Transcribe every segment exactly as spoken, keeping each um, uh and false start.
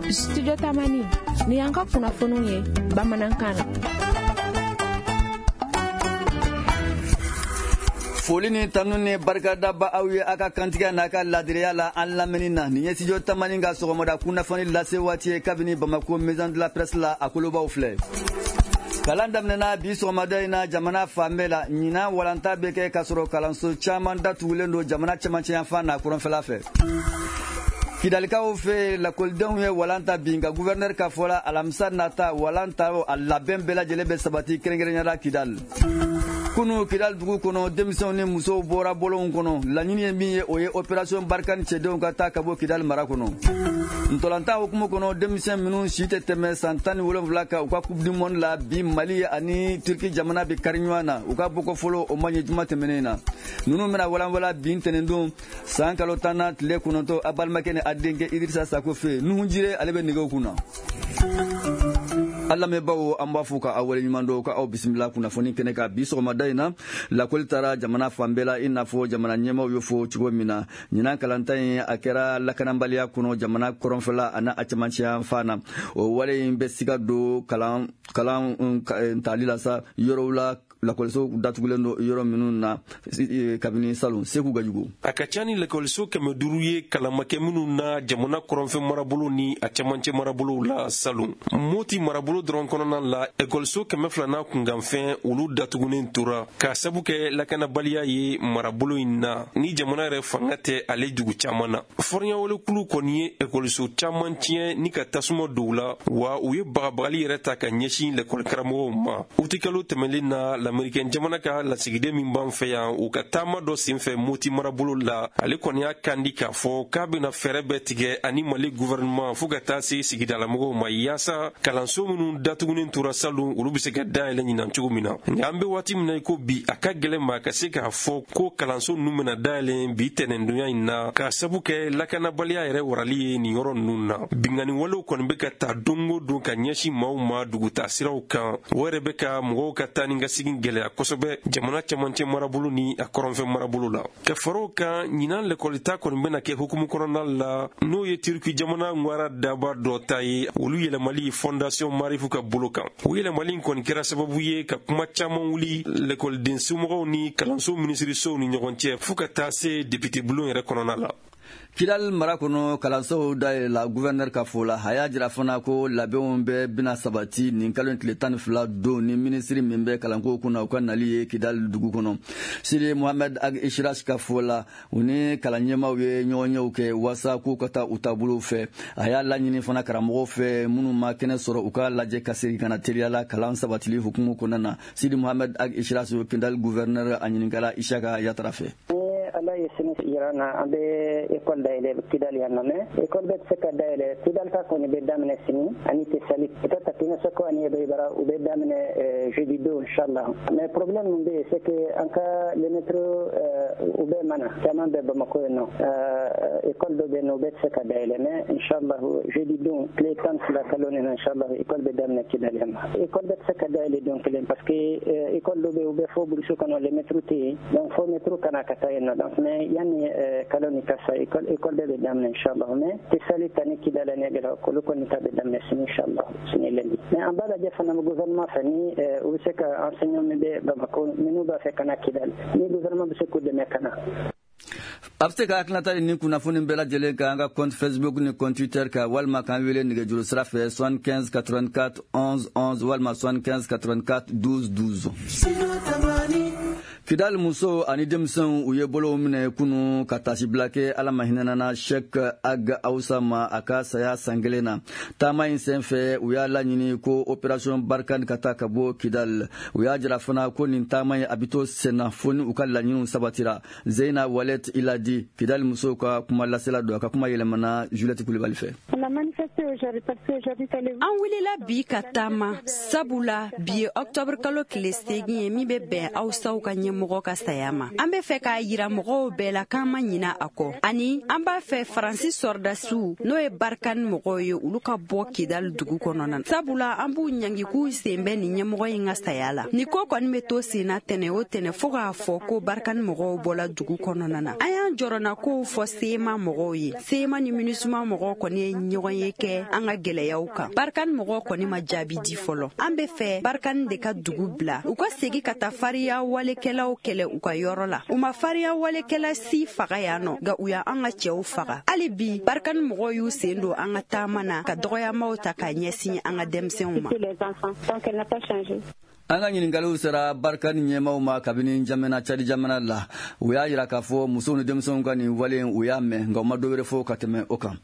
Studio Tamani ni y'an ka kunnafoniw ye bamanankan na. Foli ni tanu ni barikada ba aw ye a ka kantigiya n'a ka laadiriya la an lamɛnni na. Nin ye Studio Tamani ka sɔgɔmada kunnafoni lase waati ye kabini Bamako Maison de la Presse la, a kolobaw filɛ. Kalan daminɛna bi sɔgɔmada in na jamana fan bɛɛ la. Ɲinan walanta bɛ kɛ k'a sɔrɔ kalanso caman datugulen don jamana cɛmancɛyanfan n'a kɔrɔnfɛla fɛ. Kidalikaw fɛ, lakɔlidenw ye walan ta bi, nka gouverneur ka fɔ la, alamisa nata walan ta a labɛn bɛɛ lajɛlen bɛ sabati, kɛrɛnkɛrɛnnenya la Kidal. Kunu Kidal dugu kɔnɔ, denmisɛnw ni musow bɔra bɔlɔnw kɔnɔ. Laɲini ye min ye, o ye opération Barkhane cɛdenw ka taa ka bɔ Kidal mara kɔnɔ. Ntɔlantan hukumu kɔnɔ, denmisɛn minnu si tɛ tɛmɛ san tan ni wolonwula kan, u ka Coupe du monde la, bi Mali ani Turki jamana bɛ kari ɲɔgɔn na. U ka bɔkɔ fɔlɔ o ma ɲɛ juma tɛmɛnen na. Ninnu bɛna walanwalan bi ntɛnɛndon san kalo tan na tile kɔnɔntɔn, a balimakɛ ni a denkɛ Idirisa Sako fɛ. Nuhu Jire ale bɛ nɛgɛw kunna. An lamɛnbaaw, an b'a fɔ ka aw waleɲuman dɔn, ka aw bisimila kunnafoni kɛnɛ kan bi sɔgɔmada in na. Lakɔli taara jamana fan bɛɛ la, i n'a fɔ jamana ɲɛmaaw y'o fɔ cogo min na. Ɲinan kalanta in a kɛra lakanabaliya kɔnɔ jamana kɔrɔnfɛla ani a cɛmancɛ fan na. O wale in bɛ siga don kalan kalan tali la sa yɔrɔw la, lakɔliso datugulen don yɔrɔ minnu na kabini salon. Segu Gajugu. A ka ca ni lakɔliso kɛmɛ duuru ye kalamakɛ minnu na jamana kɔrɔnfɛ marabolo ni a cɛmancɛ marabolow la salon. Moti marabolo dɔrɔn kɔnɔna la, ekɔliso kɛmɛ fila n'a kunkanfɛn, olu datugunen tora k'a sabu kɛ lakanabaliya ye marabolo in na, ni jamana yɛrɛ fanga tɛ ale dugu caman na. Fɔriɲawalekulu kɔni ye ekɔliso caman tiɲɛ ni ka tasuma don u la, wa u ye bagabagali yɛrɛ ta ka ɲɛsin lakɔlikaramɔgɔw ma. Utikalo tɛmɛlen na, Amerikɛn jamana ka lasigiden min b'an fɛ yan, u ka taama dɔ senfɛ Moti marabolo la, ale kɔni y'a kandi k'a fɔ k'a bɛna fɛɛrɛ bɛɛ tigɛ ani Mali gouvernement fo ka taa se sigidalamɔgɔw ma, yaasa kalanso minnu datugunen tora salon, olu bɛ se ka dayɛlɛ ɲinan cogo min na. Nka an bɛ waati min na i ko bi, a ka gɛlɛn ma ka se k'a fɔ ko kalanso ninnu bɛna dayɛlɛ bi tɛnɛndonya in na, k'a sabu kɛ lakanabaliya yɛrɛ warali ye nin yɔrɔ ninnu na. Binkanni walew kɔni bɛ ka ta don o don ka ɲɛsin maaw ma dugutaa siraw kan. O yɛrɛ bɛ ka mɔgɔw ka taa ni ka segin gɛlɛya kosɛbɛ jamana cɛmancɛ marabolo ni a kɔrɔnfɛ marabolo la. Ka fara o kan, ɲinan lɛkɔlita kɔni bɛna kɛ hukumu kɔnɔna la, n'o ye Turki jamana ŋwara daba dɔ ta ye, olu yɛlɛmali Fondation Marifu ka bolo kan. O yɛlɛmali in kɔni kɛra sababu ye ka kuma caman wuli lɛkɔliden somɔgɔw ni kalanso minisirisow ni ɲɔgɔn cɛ, fɔɔ ka taa se député bulon yɛrɛ kɔnɔna la. Kidal mara kɔnɔ, kalansow dayɛlɛla gouverneur ka fɔ la. A y'a jira fana ko labɛnw bɛɛ bɛna sabati nin kalo tile tan ni fila don ni minisiri min bɛ kalanko kunna, u ka nali ye Kidal dugu kɔnɔ. Sidi Mohamed Ag Ishirash ka fɔ la, u ni kalan ɲɛmaaw ye ɲɔgɔnyew kɛ waasa k'u ka taa u taabolow fɛ. A y'a laɲini fana karamɔgɔw fɛ minnu ma kɛnɛ sɔrɔ, u ka lajɛ ka segin ka na teliya la kalan sabatili hukumu kɔnɔna na. Sidi Mohamed Ag Ishirash, Kidal gouverneur, a ɲininkala Isaka Yatara fɛ. Ala ye sini yira na, an bɛ école dayɛlɛ Kidal yan nɔ, mais école bɛ tɛ se ka dayɛlɛ. Kidal ta kɔni bɛ daminɛ sini ani Tesali, peut-être Timasako ani Ebeyibara, u bɛ daminɛ jeudi don inchallah. Mais problème min bɛ yen, c'est que an ka les maîtres, u bɛɛ mana caman bɛ Bamako yen nɔ, école dɔ bɛ yen nɔ, u bɛɛ tɛ se ka dayɛlɛ. Mais inchallah jeudi don tile tan ni fila kalo nin na, inchallah école bɛ daminɛ Kidal yan nɔ. École bɛ tɛ se ka dayɛlɛ don kelen, parce que école dɔ bɛ yen, u bɛ fɔ brousse kɔnɔ, les maîtres tɛ yen, donc fo maître kana ka taa yen nɔ. Donc mais yanni kalo ni ka sa, école école bɛɛ bɛ daminɛ inchallah. Mais Tesali ta ni Kidal ani Gɛlɛ, olu kɔni ta bɛ daminɛ sini inchallah, sini lundi. Mais an b'a lajɛ fana gouvernement fɛ ni u bɛ se ka enseignant min bɛ Bamako, minnu b'a fɛ ka na Kidal, ni gouvernement bɛ se k'u dɛmɛ ka na. A bɛ se ka hakilinata di ni kunnafoni bɛɛ lajɛlen kan an ka compte Facebook ni compte Twitter kan, walima k'an wele nɛgɛjuru sira fɛ soixante-quinze quatre-vingt-quatre onze onze walima soixante-quinze quatre-vingt-quatre douze douze. Kidal musow ani denmisɛnw, u ye bolow minɛ kunu ka tasibila kɛ Ala ma hinɛnana Sheikh Ag Awsa ma a ka saya san kelen na. Taama in sen fɛ, u y'a laɲini ko opération Barkhane ka taa ka bɔ Kidal. U y'a jira fana ko nin taama in a bɛ to senna fo ni u ka laɲiniw sabatira. Zeyina Walet Iladi, Kidal musow ka kuma lasela don, a ka kuma yɛlɛmana Juliette Kulibali fɛ. An wulila bi ka taama, sabula bi ye octobre kalo tile seegin ye, min bɛ bɛn Awsaw ka ɲɛmɔgɔ ɲɛmɔgɔ ka saya ma. An bɛ fɛ k'a yira mɔgɔw bɛɛ la k'an ma ɲina a kɔ. Ani an b'a fɛ Faransi sɔrɔdasiw, n'o ye Barkhane mɔgɔw ye, olu ka bɔ Kidali dugu kɔnɔna na. Sabula an b'u ɲangi k'u sen bɛ nin ɲɛmɔgɔ in ka saya la. Nin ko kɔni bɛ to sen na tɛnɛ o tɛnɛ fo k'a fɔ ko Barkhane mɔgɔw bɔla dugu kɔnɔna na. An y'an jɔrɔna kow fɔ C M A mɔgɔw ye. C M A ni MINUSMA mɔgɔw kɔni ye ɲɔgɔn ye kɛ an ka gɛlɛyaw kan. Barkhane mɔgɔw kɔni ma jaabi di fɔlɔ. An bɛ fɛ Barkhane de ka dugu bila, u ka segin ka taa fariya walekɛlaw kɛlɛ u ka yɔrɔ la. U ma fariya walekɛla si faga yan nɔ, nka u y'an ka cɛw faga. Hali bi Barkhane mɔgɔw y'u sen don an ka taama na ka dɔgɔyamaw ta k'a ɲɛsin an ka denmisɛnw ma. An ka ɲininkaliw sera Barkhane ɲɛmaw ma kabini jamana Cadi jamana la. U y'a yira k'a fɔ musow ni denmisɛnw ka nin wale, u y'a mɛn, nka u ma dɔ wɛrɛ fɔ ka tɛmɛ o kan.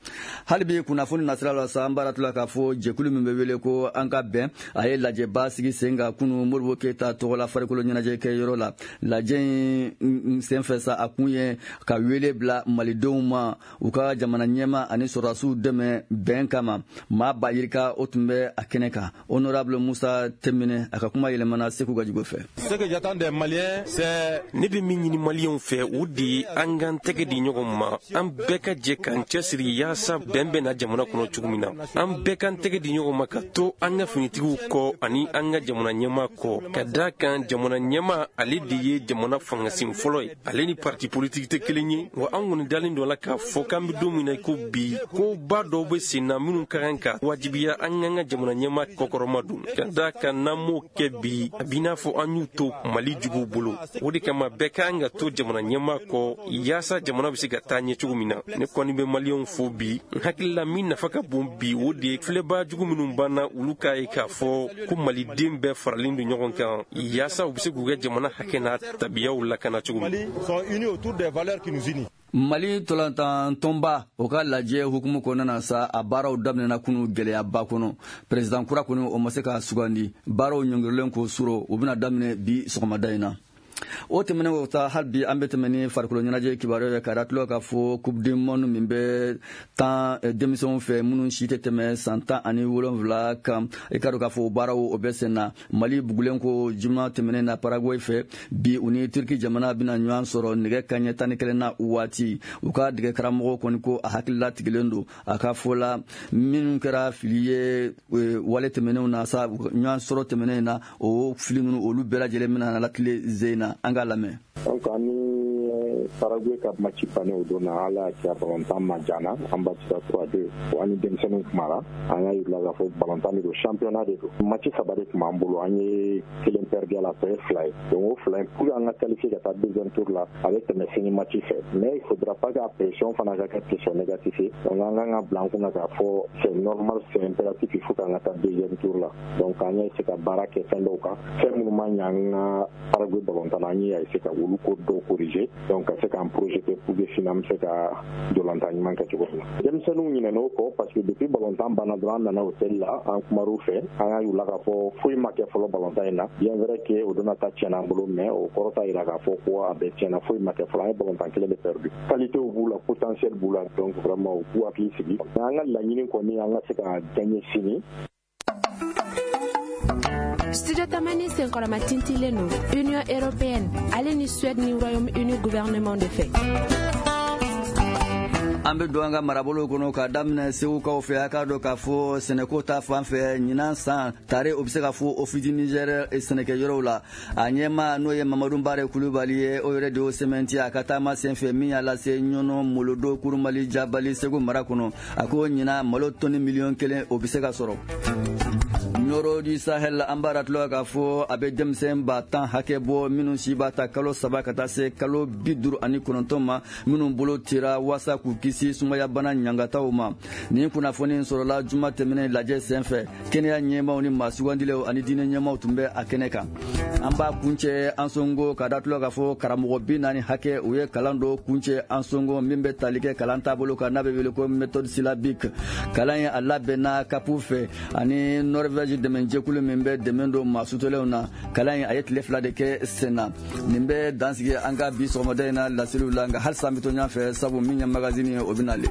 Hali bi kunnafoni nasira la sa, an b'a tula k'a fɔ jɛkulu min bɛ wele ko An ka bɛn, a ye lajɛba sigi sen kan kunu Modibo Keyita tɔgɔla farikolo ɲɛnajɛ kɛ yɔrɔ la. Lajɛ in senfɛ sa, a kun ye ka wele bila malidenw ma, u ka jamana ɲɛma ani sɔrɔdasiw dɛmɛ bɛn kama. Maa ba yirika o tun bɛ a kɛnɛ kan. Honorable Musa Tɛmɛnɛ, a ka kuma yɛlɛmana Segu Gajugu fɛ. Ce que j'attends des Maliens, c'est Ne bɛ min ɲini Maliyɛnw fɛ, o de ye an k'an tɛgɛ di ɲɔgɔn ma, an bɛɛ ka jɛ k'an cɛsiri yaasa bɛn bɛ na jamana kɔnɔ cogo min na. An bɛɛ k'an tɛgɛ di ɲɔgɔn ma ka to an ka finitigiw kɔ ani an ka jamana ɲɛmaa kɔ, ka da kan jamana ɲɛmaa, ale de ye jamana fangasin fɔlɔ ye. Ale ni parti politique tɛ kelen ye wa. An kɔni dalen dɔ la k'a fɔ k'an bɛ don min na i ko bi, ko ba dɔw bɛ sen na minnu ka kan ka wajibiya an k'an ka jamana ɲɛmaa kɔkɔrɔma don, ka da kan n'an m'o kɛ bi, a b'i n'a fɔ an y'u to Mali juguw bolo. O de kama bɛɛ ka kan ka to jamana ɲɛmaa kɔ yaasa jamana bɛ se ka taa ɲɛ cogo min na. Ne kɔni bɛ Maliyɛnw fo bi. N hakili la, min nafa ka bon bi, o de ye filɛbaa jugu minnu banna, olu k'a ye k'a fɔ ko Maliden bɛɛ faralen don ɲɔgɔn kan yaasa u bɛ se k'u ka jamana hakɛ n'a tabiyaw lakana cogo min. Sont unis autour des valeurs qui nous unissent. Mali tolantan tɔnba, o ka lajɛ hukumu kɔnɔna na sa, a baaraw daminɛna kunu gɛlɛyaba kɔnɔ. Président kura kɔni, o ma se ka sugandi. Baaraw ɲɔngirilen ko suro, u bɛna daminɛ bi sɔgɔmada in na. O tɛmɛnen kɔ ta, hali bi an bɛ tɛmɛ ni farikolo ɲɛnajɛ kibaruya ye, ka da tulo k'a fɔ Coupe du monde min bɛ tan denmisɛnw fɛ minnu si tɛ tɛmɛ san tan ani wolonwula kan, i ka dɔn k'a fɔ o baaraw o bɛ sen na. Mali bugulen ko juma tɛmɛnen na Paraguay fɛ, bi u ni Turki jamana bɛna ɲɔgɔn sɔrɔ nɛgɛ kaɲɛ tan ni kelen na waati. U ka dɛgɛ karamɔgɔ kɔni ko a hakilila tigilen don. A ka fɔ la, minnu kɛra fili ye wale tɛmɛnenw na sa, ɲɔgɔn sɔrɔ tɛmɛnen na, o fili ninnu, olu bɛɛ lajɛlen bɛna latile zen na. An k'a lamɛn. Donc ani Paraguay ka match bannen o don na, Ala y'a kɛ a balontan ma jana, an batira trois deux. An ni denmisɛnninw kumara, an y'a yir'u la k'a fɔ balontan de don, championnat de don. Match saba de tun b'an bolo, an ye kelen perdu a la, tɔ ye fila ye. Donc o fila in, pour an ka qualifier ka taa deuxième tour la, a bɛ tɛmɛ sini match fɛ. Mais il faudra pas que pression fana ka kɛ pression négative ye. Donc an kan ka bila an kunna k'a fɔ c'est normal, c'est impératif, il faut k'an ka taa deuxième tour la. Donc an y'a essayer ka baara kɛ fɛn dɔw kan, fɛn minnu ma ɲɛ an ka Paraguay balontan na, an y'a essayer ka olu ko dɔw corriger, donc ka se k'an projeter pour que sini an bɛ se ka dolantan ɲuman kɛ cogo min na. Denmisɛnninw ɲinɛn'o kɔ parce que depuis balontan banna dɔrɔn, an nana hôtel la, an kumar'u fɛ, an y'a yir'u la k'a fɔ foyi ma kɛ fɔlɔ balontan in na. Bien vrai que o donna ta tiɲɛna an bolo, mais o kɔrɔ t'a yira k'a fɔ ko a bɛɛ tiɲɛna. Foyi ma kɛ fɔlɔ, an ye balontan kelen de perdu. Qualité b'u la, potentiel b'u la, donc vraiment u k'u hakili sigi. An ka laɲini kɔni, an ka se ka gagner sini. Studio Tamani senkɔrɔma tintilen don Union européenne ale ni Suède ni Royaume-Uni gouvernement de fɛ. An bɛ don an ka marabolow kɔnɔ ka daminɛ Segukaw fɛ. A k'a dɔn k'a fɔ sɛnɛko ta fan fɛ, ɲinan san tare, o bɛ se ka fɔ Office du Niger sɛnɛkɛyɔrɔw la, a ɲɛma n'o ye Mamadu Bare Kulubali ye, o yɛrɛ de y'o sɛmɛnti a ka taama senfɛ min y'a lase Ɲɔnɔ, Molodo, Kurumali, Jabali, Segu mara kɔnɔ. A ko ɲinan malo tɔni miliyɔn kelen, o bɛ se ka sɔrɔ. Ɲɔrɔ du Sahel, an b'a ratulɔ k'a fɔ a bɛ denmisɛn ba tan hakɛ bɔ minnu si b'a ta kalo saba ka taa se kalo bi duuru ani kɔnɔntɔn ma, minnu bolo tira waasa k'u kisi sumayabana ɲangataw ma. Nin kunnafoni sɔrɔla juma tɛmɛnen lajɛ senfɛ. Kɛnɛya ɲɛmaw ni maa sugandilenw ani diinɛ ɲɛmaw tun bɛ a kɛnɛ kan. An b'a kuncɛ Ansongo, ka datulɔ k'a fɔ karamɔgɔ bi naani hakɛ, u ye kalan dɔ kuncɛ Ansongo min bɛ tali kɛ kalan taabolo kan n'a bɛ wele ko méthode syllabique. Kalan ye a labɛnna kapu fɛ ani Norvège dɛmɛjɛkulu min bɛ dɛmɛ don maa sutolenw na. Kalan in, a ye tile fila de kɛ sen na. Nin bɛ dansigi an ka bi sɔgɔmada in na laseliw la, nka halisa an bɛ to ɲɔgɔn fɛ, sabu min ye magazine ye, o bɛ nalen.